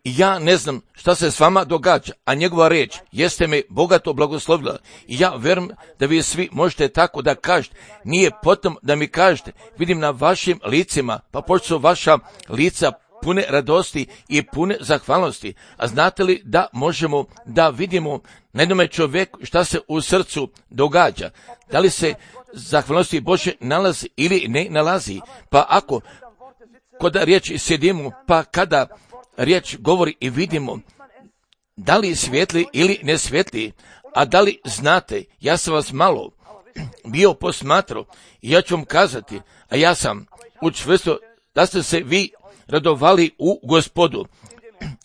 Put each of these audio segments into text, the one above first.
ja ne znam šta se s vama događa, a njegova riječ jeste me bogato blagoslovila. I ja vjerujem da vi svi možete tako da kažete. Nije potom da mi kažete, vidim na vašim licima, pa pošto su vaša lica pune radosti i pune zahvalnosti. A znate li da možemo da vidimo na jednome čovjeku šta se u srcu događa? Da li se zahvalnosti Bože nalazi ili ne nalazi? Pa ako kod riječi sjedimo, pa kada riječ govori i vidimo da li svijetli ili ne svijetli, a da li znate, ja sam vas malo bio posmatrao i ja ću vam kazati, a ja sam učvrstio da ste se vi radovali u Gospodu,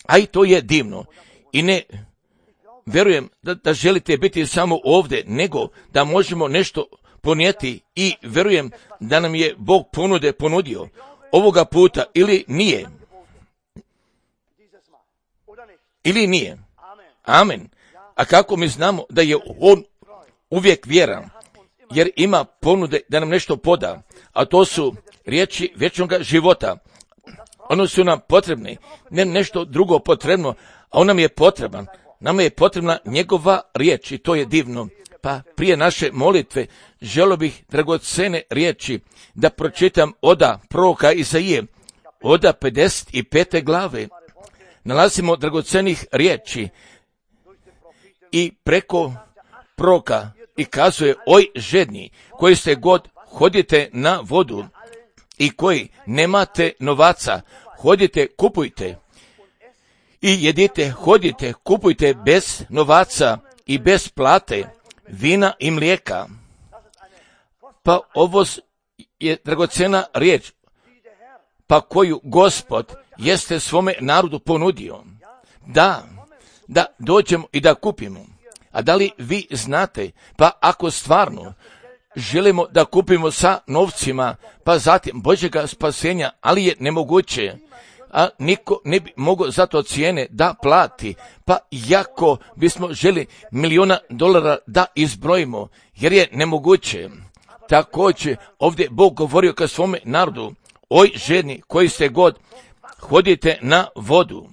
a i to je divno. I ne vjerujem da želite biti samo ovdje, nego da možemo nešto ponijeti i vjerujem da nam je Bog ponudio ovoga puta ili nije. Ili nije. Amen. A kako mi znamo da je on uvijek vjeran, jer ima ponude da nam nešto poda, a to su riječi vječnog života. Ono su nam potrebne, ne nešto drugo potrebno, a on nam je potreban. Nama je potrebna njegova riječ i to je divno. Pa prije naše molitve želio bih dragocene riječi da pročitam oda proroka Izaije, oda 55. glave. Nalazimo dragocenih riječi i preko proroka i kazuje, oj žedni, koji ste god hodite na vodu i koji nemate novaca, hodite, kupujte i jedite, hodite, kupujte bez novaca i bez plate, vina i mlijeka. Pa ovo je dragocena riječ, pa koju Gospod jeste svome narodu ponudio. Da dođemo i da kupimo. A da li vi znate, pa ako stvarno želimo da kupimo sa novcima, pa zatim Božjega spasenja, ali je nemoguće, a niko ne bi mogao za to cijene da plati, pa jako bismo želi $1.000.000 da izbrojimo, jer je nemoguće. Također ovdje Bog govorio ka svome narodu, oj žedni koji ste god hodite na vodu.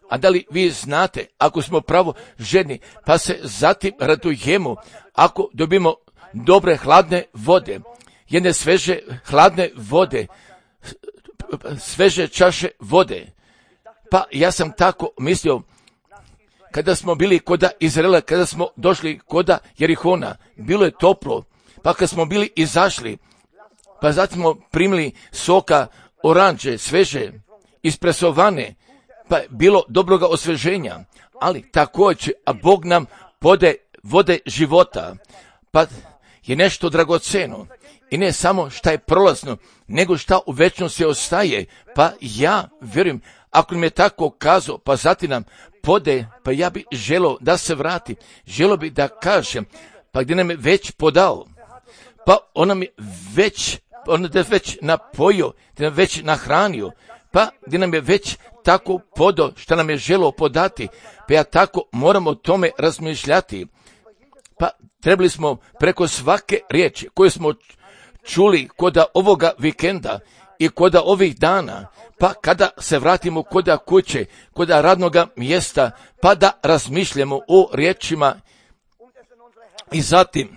A da li vi znate, ako smo pravo žedni, pa se zatim radujemo, ako dobimo dobre hladne vode, jedne sveže hladne vode, sveže čaše vode. Pa ja sam tako mislio, kada smo bili koda Izraela, kada smo došli koda Jerihona, bilo je toplo, pa kad smo bili izašli, pa zatim smo primili soka oranđe, sveže, ispresovane, pa je bilo dobroga osveženja, ali također, a Bog nam pode vode života, pa je nešto dragoceno i ne samo šta je prolazno, nego šta u večnosti ostaje, pa ja vjerujem, ako nam je tako kazao, pa zatim nam pode, pa ja bi želio da se vrati, želio bi da kažem, pa gdje nam je već podao, pa on nam je već napojio, gdje nam već nahranio, pa gdje nam je već tako podao što nam je želio podati, pa ja tako moramo o tome razmišljati. Pa trebali smo preko svake riječi koju smo čuli koda ovoga vikenda i koda ovih dana, pa kada se vratimo koda kuće, koda radnoga mjesta, pa da razmišljamo o riječima i zatim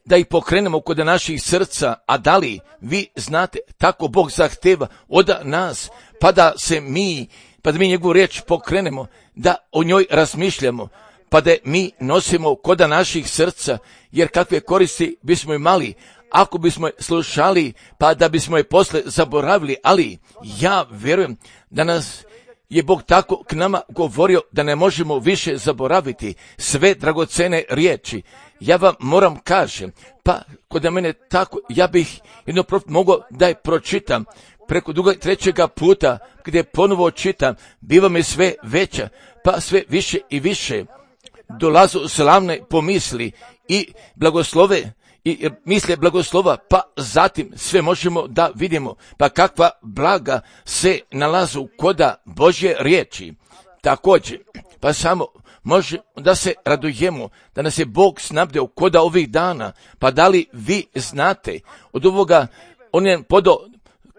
da ih pokrenemo kod naših srca. A da li vi znate, tako Bog zahteva od nas, pa da mi njegovu riječ pokrenemo, da o njoj razmišljamo, pa da mi nosimo koda naših srca, jer kakve koristi bismo imali ako bismo je slušali, pa da bismo je posle zaboravili. Ali ja vjerujem da nas je Bog tako k nama govorio da ne možemo više zaboraviti sve dragocene riječi. Ja vam moram kažem, pa kod mene tako, ja bih jedno mogao da je pročitam preko trećega puta, gdje ponovo čitam, biva mi sve veća, pa sve više i više dolazu slavne pomisli i blagoslove, i misle blagoslova, pa zatim sve možemo da vidimo, pa kakva blaga se nalazu koda Božje riječi. Također, pa samo može da se radujemo, da nas je Bog snabdeo koda ovih dana, pa da li vi znate, od ovoga on je podao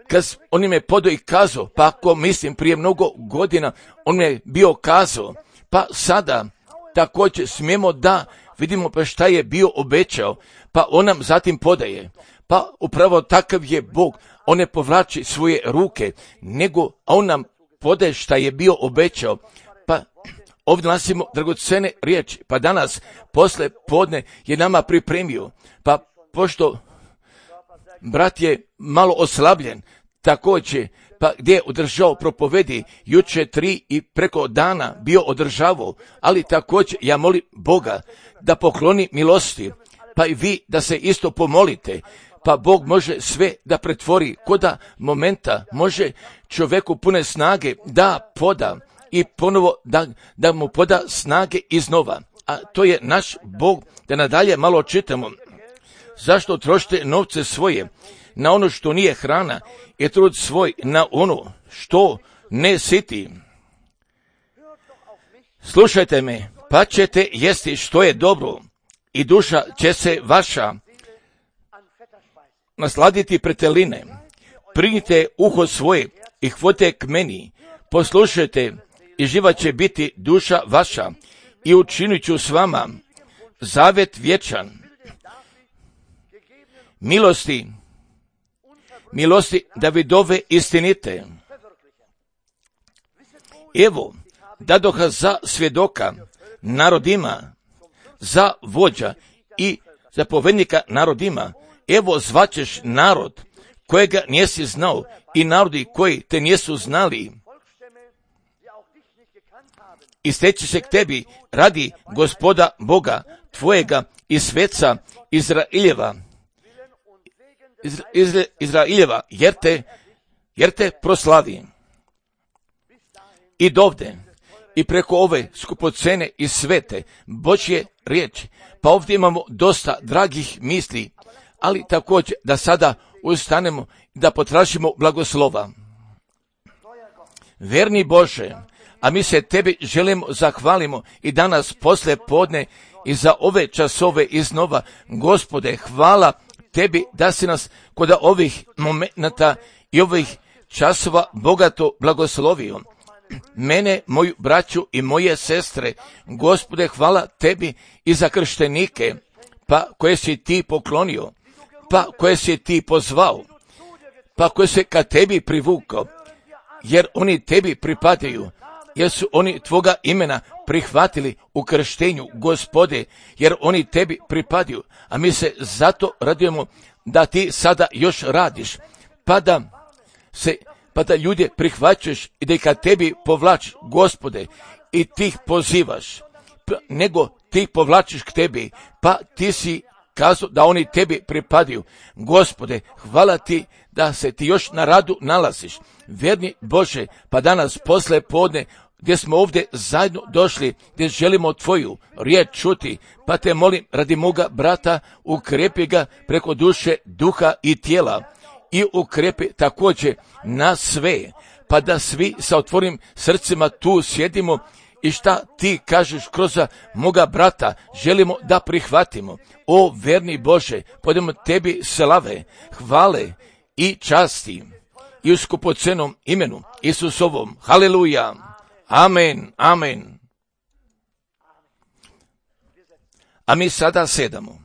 kad on im je podao i kazao, pa ako mislim prije mnogo godina, on je bio kazao, pa sada također smijemo da vidimo pa šta je bio obećao, pa on nam zatim podaje. Pa upravo takav je Bog, on ne povlači svoje ruke, nego on nam podaje šta je bio obećao. Pa ovdje nalazimo dragocene riječi, pa danas posle podne je nama pripremio, pa pošto brat je malo oslabljen, također, pa gdje je održao propovedi, juče 3 i preko dana bio održavao, ali također ja molim Boga da pokloni milosti, pa i vi da se isto pomolite, pa Bog može sve da pretvori, koda momenta može čovjeku pune snage da poda i ponovo da mu poda snage iznova. A to je naš Bog, da nadalje malo čitamo. Zašto trošite novce svoje na ono što nije hrana i trud svoj na ono što ne siti? Slušajte me, pa ćete jesti što je dobro i duša će se vaša nasladiti preteline. Prignite uho svoje i hvote k meni, poslušajte i živa će biti duša vaša i učinit ću s vama zavet vječan. Milosti Davidove istinite. Evo, dadoha za svjedoka narodima, za vođa i zapovednika narodima. Evo zvaćeš narod kojega nisi znao i narodi koji te nisu znali. I steći se k tebi radi Gospoda Boga tvojega i sveca Izraeljeva, jer te proslavi. I dovde, i preko ove skupocene i svete Božje riječi, pa ovdje imamo dosta dragih misli, ali također da sada ustanemo i da potražimo blagoslova. Verni Bože, a mi se tebi želimo zahvalimo i danas posle podne i za ove časove iznova. Gospode, hvala tebi da si nas kod ovih momenata i ovih časova bogato blagoslovio. Mene, moju braću i moje sestre, Gospode, hvala tebi i za krštenike, pa koje si ti poklonio, pa koje si ti pozvao, pa koje se ka tebi privukao, jer oni tebi pripadaju, jer su oni tvoga imena prihvatili u krštenju, Gospode, jer oni tebi pripadaju, a mi se zato radujemo da ti sada još radiš, pa da ljude prihvaćaš i da ih ka tebi povlačiš, Gospode, i ti ih pozivaš, nego ti ih povlačiš k tebi, pa ti si kazao da oni tebi pripadaju. Gospode, hvala ti da se ti još na radu nalaziš. Verni Bože, pa danas posle podne, gdje smo ovdje zajedno došli, gdje želimo tvoju riječ čuti, pa te molim radi moga brata, ukrepi ga preko duše, duha i tijela i ukrepi također na sve, pa da svi sa otvorenim srcima tu sjedimo i šta ti kažeš kroz moga brata želimo da prihvatimo. O verni Bože, podemo tebi slave, hvale i časti i u skupocenom imenu Isusovom. Haleluja. Amen, amen. A mi sada sedamo.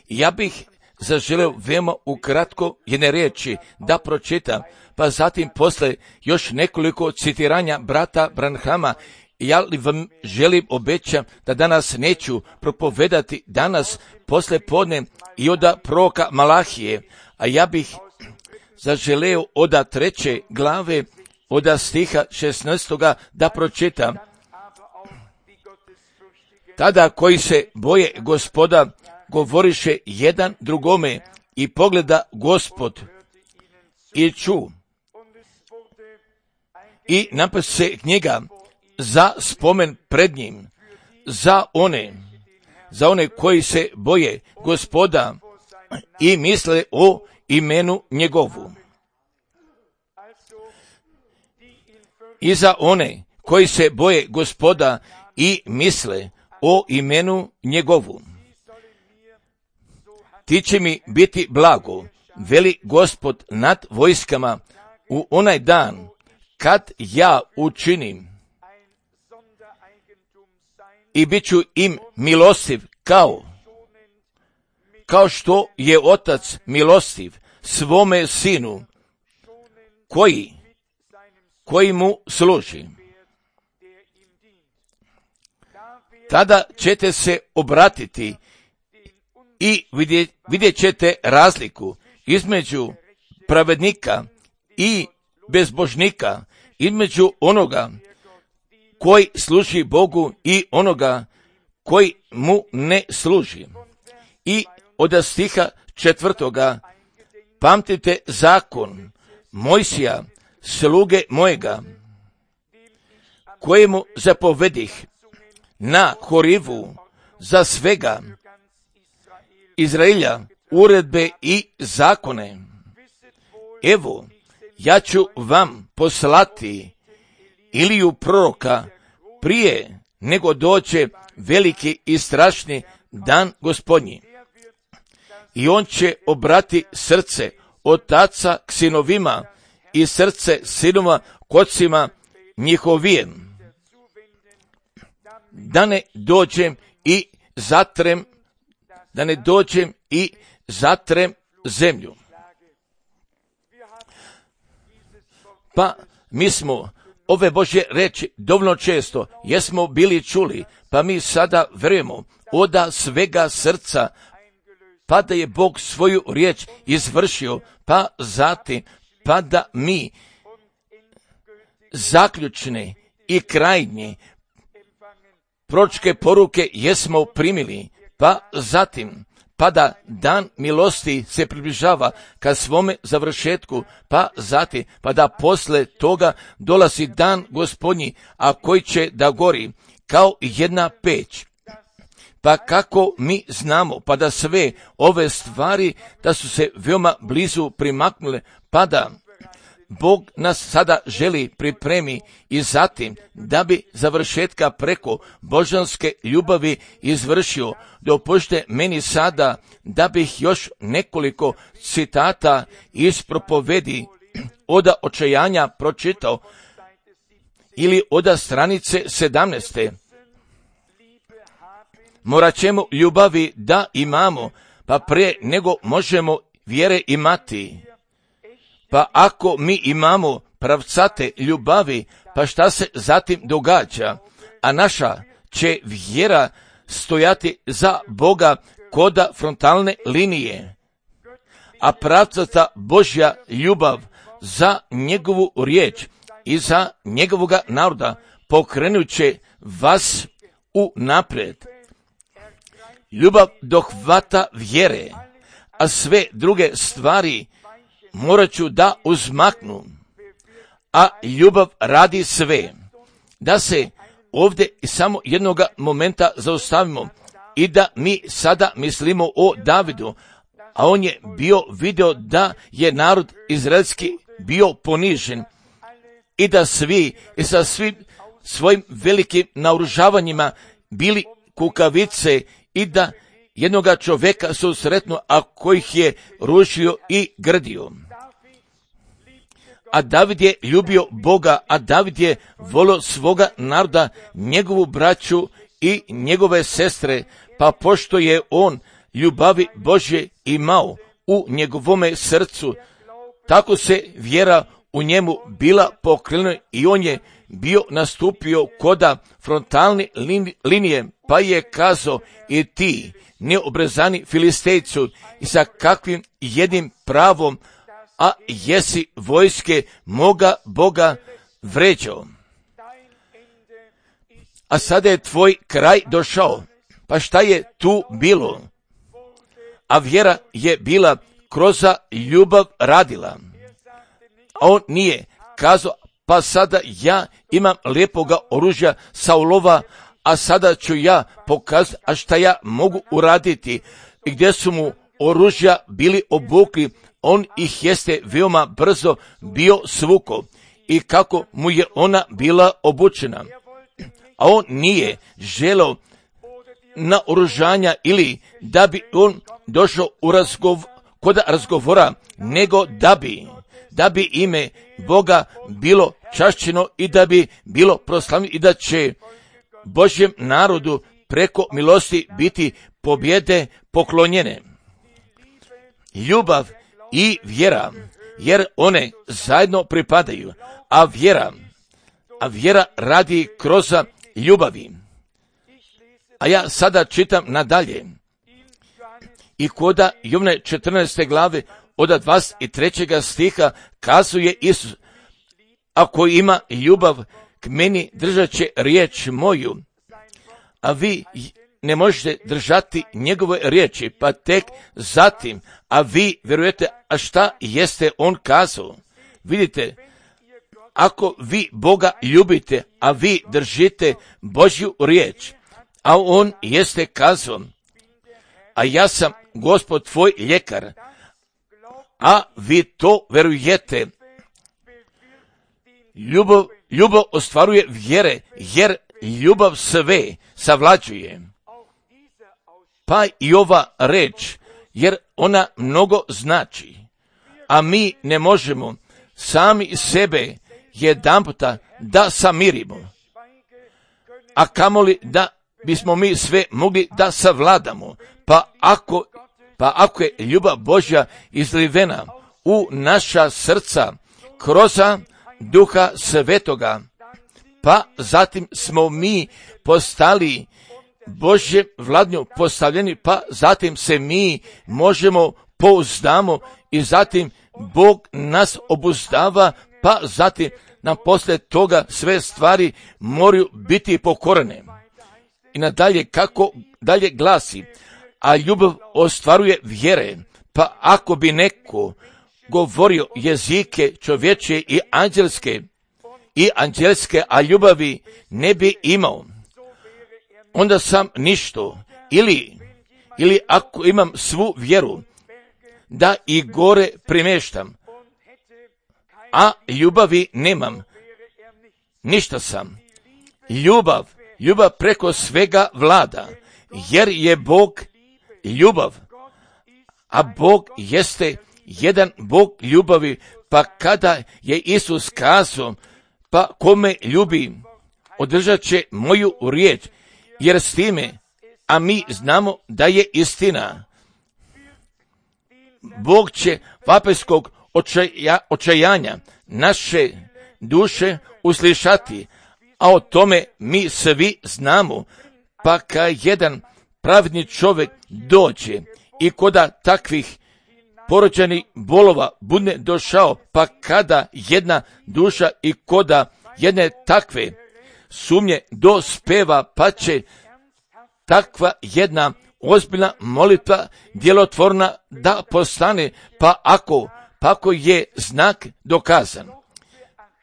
Ja bih zaželeo veoma ukratko jedne riječi da pročitam, pa zatim posle još nekoliko citiranja brata Branhama. Ja li vam želim, obećam da danas neću propovedati danas posle podne i od proroka Malahije, a ja bih zaželeo od 3. glave, od stiha 16. da pročitam. Tada koji se boje Gospoda govoriše jedan drugome i pogleda Gospod i ču i napise knjiga za spomen pred njim, za one koji se boje Gospoda i misle o imenu njegovu. I za one koji se boje Gospoda i misle o imenu njegovu. Ti će mi biti blago veli Gospod nad vojskama, u onaj dan kad ja učinim i bit ću im milostiv kao što je otac milostiv svome sinu koji mu služi. Tada ćete se obratiti i vidjet ćete razliku između pravednika i bezbožnika, između onoga koji služi Bogu i onoga koji mu ne služi. I od stiha 4. pamtite zakon Mojsija, sluge mojega, kojemu zapovedih na Horivu za svega Izraelja uredbe i zakone. Evo, ja ću vam poslati Iliju proroka prije nego dođe veliki i strašni dan Gospodnji. I on će obrati srce otaca k sinovima i srce sinova k ocima njihovijem, da ne dođem i zatrem zemlju. Pa mi smo ove Božje reči dovoljno često jesmo bili čuli, pa mi sada vjerujemo od svega srca, pa da je Bog svoju riječ izvršio, pa zatim, pa da mi zaključne i krajnje proročke poruke jesmo primili, pa zatim, pa da dan milosti se približava ka svome završetku, pa zatim, pa da posle toga dolazi dan Gospodnji, a koji će da gori kao jedna peć. Pa kako mi znamo, pa da sve ove stvari da su se veoma blizu primaknule, pa da Bog nas sada želi pripremi i zatim da bi završetka preko božanske ljubavi izvršio. Dopušte meni sada da bih još nekoliko citata iz propovedi od očajanja pročitao ili od stranice 17. Morat ćemo ljubavi da imamo, pa prije nego možemo vjere imati. Pa ako mi imamo pravcate ljubavi, pa šta se zatim događa? A naša će vjera stojati za Boga kod frontalne linije. A pravcata Božja ljubav za njegovu riječ i za njegovoga naroda pokrenut će vas u naprijed. Ljubav dohvata vjere, a sve druge stvari morat ću da uzmaknu, a ljubav radi sve. Da se ovdje samo jednoga momenta zaustavimo i da mi sada mislimo o Davidu, a on je vidio da je narod izraelski bio ponižen i da svi i sa svim svojim velikim naoružavanjima bili kukavice i da jednoga čovjeka susretno, a kojih je rušio i grdio. A David je ljubio Boga, a David je volio svoga naroda, njegovu braću i njegove sestre, pa pošto je on ljubavi Božje imao u njegovome srcu, tako se vjera u njemu bila pokrenula i on je bio nastupio koda frontalne linije, pa je kazao: i ti, neobrezani Filistejcu, i sa kakvim jednim pravom, a jesi vojske moga Boga vređao. A sada je tvoj kraj došao. Pa šta je tu bilo? A vjera je bila kroz ljubav radila. A on nije kazao: pa sada ja imam lijepoga oružja Saulova, a sada ću ja pokazati, a šta ja mogu uraditi. I gdje su mu oružja bili obukli, on ih jeste veoma brzo bio svuko. I kako mu je ona bila obučena. A on nije želeo na oružanja ili da bi on došao u kod razgovora, nego da bi ime Boga bilo čašćeno i da bi bilo proslavljeno i da će Božjem narodu preko milosti biti pobjede poklonjene. Ljubav i vjera, jer one zajedno pripadaju, a vjera radi kroz ljubavi. A ja sada čitam nadalje. I koda Jovane 14. glave od 23. stiha kazuje Isus, ako ima ljubav k meni, držat će riječ moju, a vi ne možete držati njegove riječi, pa tek zatim, a vi vjerujete, a šta jeste on kazao? Vidite, ako vi Boga ljubite, a vi držite Božju riječ, a on jeste kazao, a ja sam Gospod tvoj ljekar, a vi to verujete. Ljubav ostvaruje vjere, jer ljubav sve savlađuje. Pa i ova reč, jer ona mnogo znači, a mi ne možemo sami sebe jedanputa da samirimo, a kamoli da bismo mi sve mogli da savladamo. Pa ako je ljubav Božja izlivena u naša srca kroz Duha Svetoga, pa zatim smo mi postali Božje vladnju postavljeni, pa zatim se mi možemo pouzdamo i zatim Bog nas obuzdava, pa zatim nam poslije toga sve stvari moraju biti pokorene. I nadalje, kako dalje glasi, a ljubav ostvaruje vjere, pa ako bi neko govorio jezike čovječje i anđelske, a ljubavi ne bi imao, onda sam ništo. Ili ako imam svu vjeru da i gore primještam, a ljubavi nemam, ništa sam. Ljubav preko svega vlada, jer je Bog ljubav, a Bog jeste jedan Bog ljubavi, pa kada je Isus kazao, pa kome ljubi, održat će moju riječ, jer s time, a mi znamo da je istina, Bog će vapeskog očajanja naše duše uslišati, a o tome mi svi znamo, pa kad jedan pravedni čovjek dođe i koda takvih porođenih bolova bude došao, pa kada jedna duša i koda jedne takve sumnje dospeva, pa će takva jedna ozbiljna molitva djelotvorna da postane, pa ako je znak dokazan.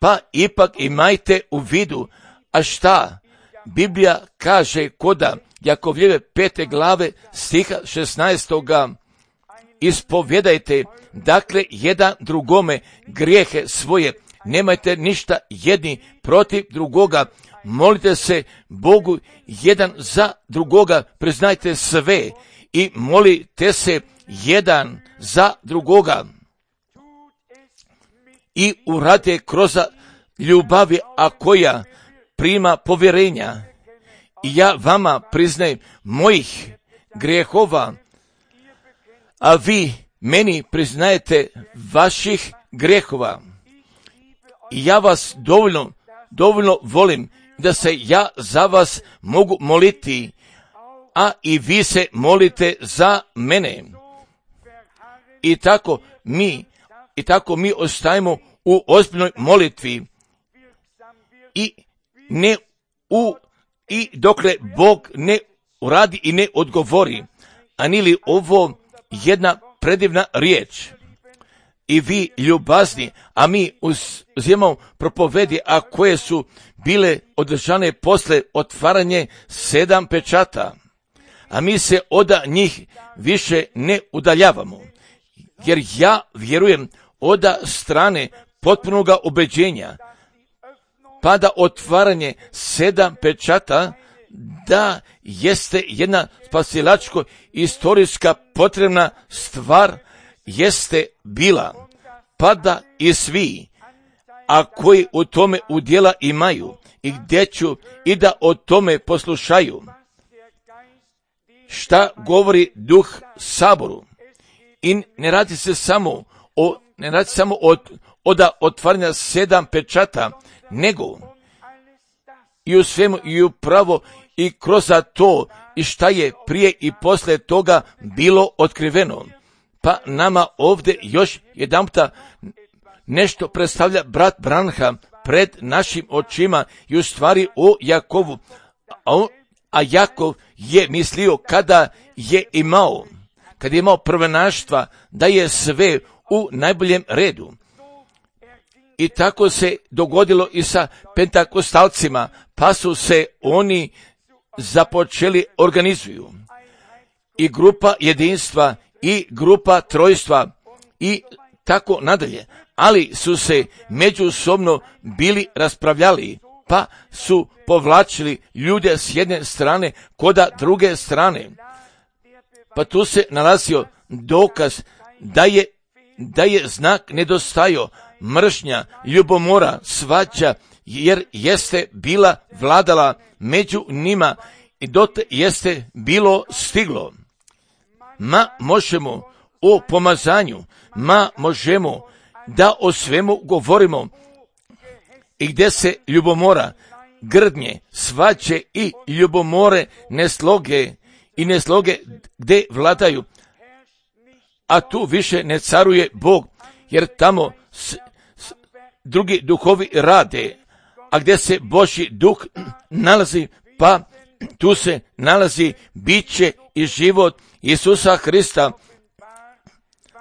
Pa ipak imajte u vidu, a šta Biblija kaže koda Jakovljeve 5. glave stiha 16. Ispovjedajte, dakle, jedan drugome grijehe svoje, nemajte ništa jedni protiv drugoga, molite se Bogu jedan za drugoga, priznajte sve i molite se jedan za drugoga. I uradite kroz ljubavi, a koja prima povjerenja. I ja vama priznajem mojih grijehova, a vi meni priznajete vaših grijehova. I ja vas dovoljno volim da se ja za vas mogu moliti, a i vi se molite za mene. I tako mi ostajemo u ozbiljnoj molitvi i dokle Bog ne uradi i ne odgovori. A nije li ovo jedna predivna riječ? I vi ljubazni, a mi uzimamo propovedi, a koje su bile održane posle otvaranje 7 pečata. A mi se od njih više ne udaljavamo. Jer ja vjerujem od strane potpunoga ubeđenja, pa da otvaranje 7 pečata da jeste jedna spasilačko istorijska potrebna stvar jeste bila, pa da i svi, a koji u tome udjela imaju, i gdje ću i da o tome poslušaju, šta govori Duh Saboru. I ne radi se samo od otvaranja 7 pečata, nego i u svemu i upravo i kroz to i šta je prije i poslije toga bilo otkriveno. Pa nama ovdje još jedanputa nešto predstavlja brat Branham pred našim očima i u stvari o Jakovu. A Jakov je mislio kada je imao prvenaštva da je sve u najboljem redu. I tako se dogodilo i sa pentakostalcima, pa su se oni započeli organizuju. I grupa jedinstva i grupa trojstva i tako nadalje. Ali su se međusobno bili raspravljali, pa su povlačili ljude s jedne strane koda druge strane. Pa tu se nalazio dokaz da je znak nedostajao, mržnja, ljubomora, svađa, jer jeste bila vladala među njima i dotle jeste bilo stiglo. Ma možemo o pomazanju, ma možemo da o svemu govorimo i gdje se ljubomora, grdnje, svađe i ljubomore nesloge gdje vladaju, a tu više ne caruje Bog, jer tamo drugi duhovi rade, a gdje se Božji duh nalazi, pa tu se nalazi biće i život Isusa Hrista,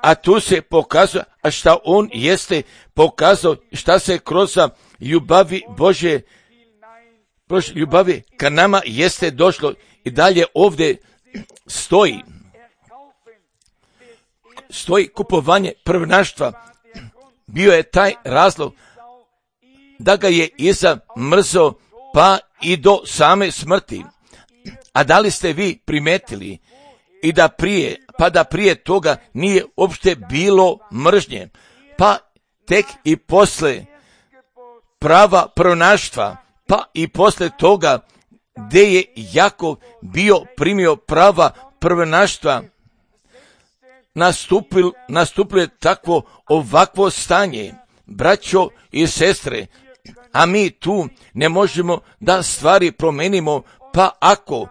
a tu se pokazuje, a šta on jeste pokazao, šta se kroz ljubavi Božje, ljubavi ka nama jeste došlo i dalje ovdje stoji kupovanje prvenaštva. Bio je taj razlog da ga je Iza mrzao pa i do same smrti. A da li ste vi primetili i da prije toga nije uopšte bilo mržnje, pa tek i posle prava prvenaštva, pa i posle toga gdje je Jakov bio primio prava prvenaštva, nastupilo je ovakvo stanje, braćo i sestre, a mi tu ne možemo da stvari promenimo, pa ako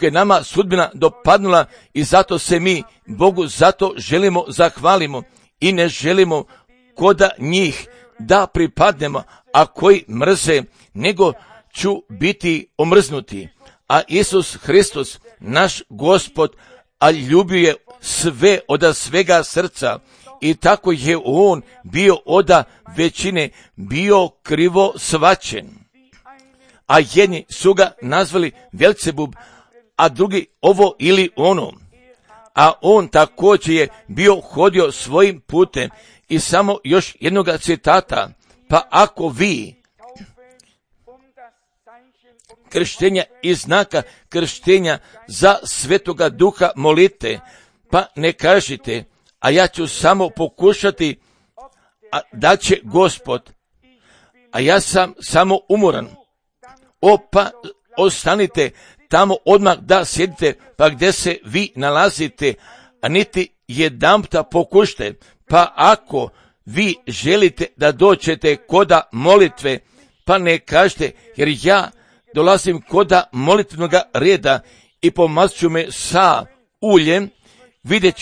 je nama sudbina dopadnula i zato se mi Bogu zato želimo zahvalimo i ne želimo koda njih da pripadnemo, a koji mrze, nego ću biti omrznuti. A Isus Hristos, naš Gospod, a ljubio je sve od svega srca i tako je on bio od većine bio krivo shvaćen. A jedni su ga nazvali Belzebub, a drugi ovo ili ono. A on također je bio hodio svojim putem. I samo još jednoga citata, pa ako vi krštenja i znaka krštenja za Svetoga Duha molite, pa ne kažite, a ja ću samo pokušati, da će Gospod, a ja sam samo umoran. Pa ostanite tamo odmah da sjedite, pa gdje se vi nalazite, a niti jedanputa pokušajte. Pa ako vi želite da dođete koda molitve, pa ne kažete, jer ja dolazim koda molitvenog reda i pomazat ću me sa uljem, vidjet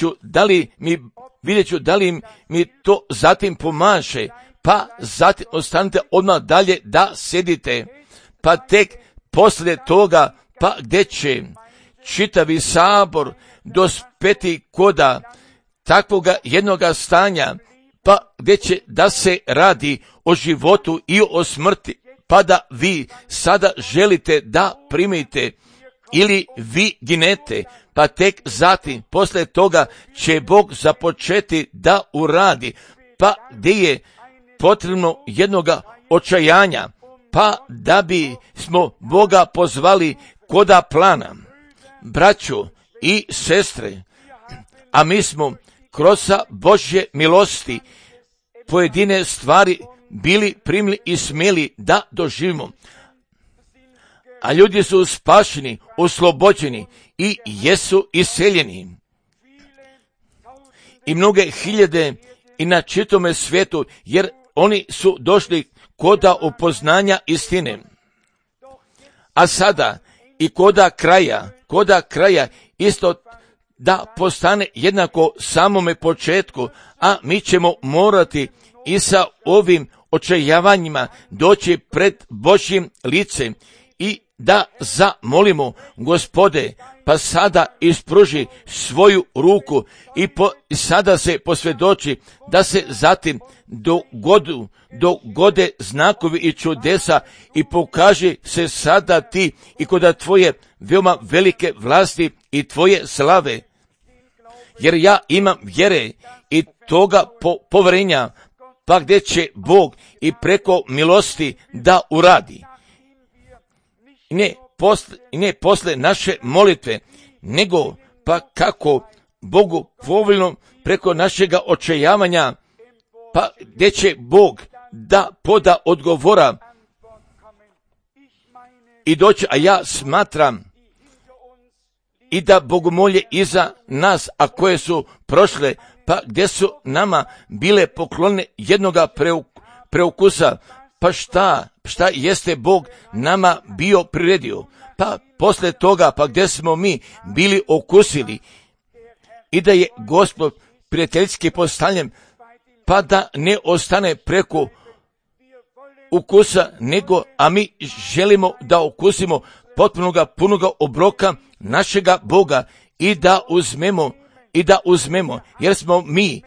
ću da li mi to zatim pomaže, pa zatim ostanite odmah dalje da sjedite, pa tek poslije toga, pa gdje će čitavi sabor dospeti koda takvoga jednoga stanja, pa gdje će da se radi o životu i o smrti, pa da vi sada želite da primite ili vi ginete, pa tek zatim poslije toga će Bog započeti da uradi, pa gdje je potrebno jednoga očajanja, pa da bi smo Boga pozvali koda plana. Braćo i sestre, a mi smo kroz Božje milosti pojedine stvari bili primili i smjeli da doživimo. A ljudi su spašeni, oslobođeni i jesu iseljeni. I mnoge hiljade i na čitome svijetu, jer oni su došli koda upoznanja istine. A sada i koda kraja isto da postane jednako samome početku, a mi ćemo morati i sa ovim očajavanjima doći pred Božjim licem i da zamolimo Gospode, pa sada ispruži svoju ruku i sada se posvjedoči da se zatim dogode znakovi i čudesa i pokaži se sada ti i kod tvoje veoma velike vlasti i tvoje slave. Jer ja imam vjere i toga povjerenja, pa gdje će Bog i preko milosti da uradi. Ne posle naše molitve, nego pa kako Bogu povoljno preko našega očajavanja, pa gdje će Bog da poda odgovora i doći, a ja smatram i da bogomolje iza nas, a koje su prošle, pa gdje su nama bile poklone jednoga preukusa, pa šta jeste Bog nama bio priredio, pa posle toga, pa gdje smo mi bili okusili i da je Gospod prijateljski postavljen, pa da ne ostane preko ukusa, nego, a mi želimo da okusimo potpunoga, punoga obroka našega Boga i da uzmemo, jer smo mi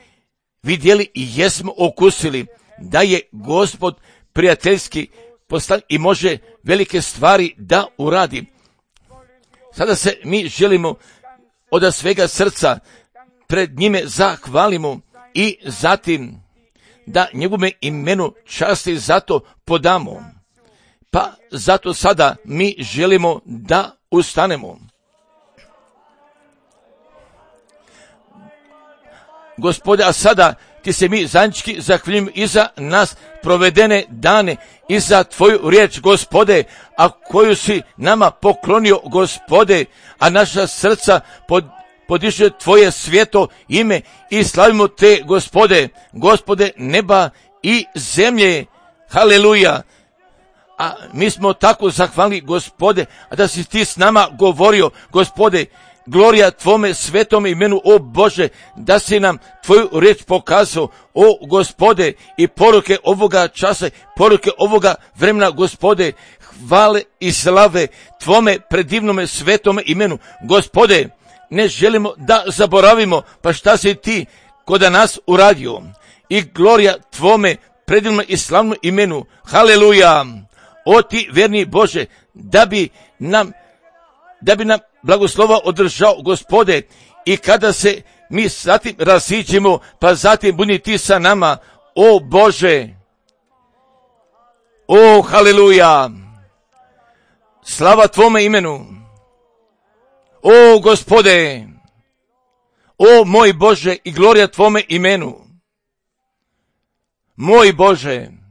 vidjeli i jesmo okusili da je Gospod prijateljski postavljen i može velike stvari da uradi. Sada se mi želimo od svega srca pred njime zahvalimo i zatim da njegove imenu časti zato podamo. Pa zato sada mi želimo da ustanemo. Gospode, a sada ti se mi zajednički zahvaljujemo i za nas provedene dane i za tvoju riječ, Gospode, a koju si nama poklonio, Gospode, a naša srca podiže tvoje sveto ime i slavimo te, Gospode neba i zemlje. Haleluja. A mi smo tako zahvalni, Gospode, a da si ti s nama govorio, Gospode, glorija tvome svetom imenu, o Bože, da si nam tvoju riječ pokazao, o Gospode, i poruke ovoga časa, poruke ovoga vremena, Gospode, hvale i slave tvome predivnome svetome imenu. Gospode, ne želimo da zaboravimo, pa šta si ti kod nas uradio, i glorija tvome predivnome i slavnom imenu. Haleluja. O ti verni Bože, da bi nam blagoslova održao, Gospode, i kada se mi zatim raziđemo, pa zatim budi ti sa nama, o Bože. O, haleluja. Slava tvome imenu. O, Gospode. O, moj Bože, i glorija tvome imenu. Moj Bože.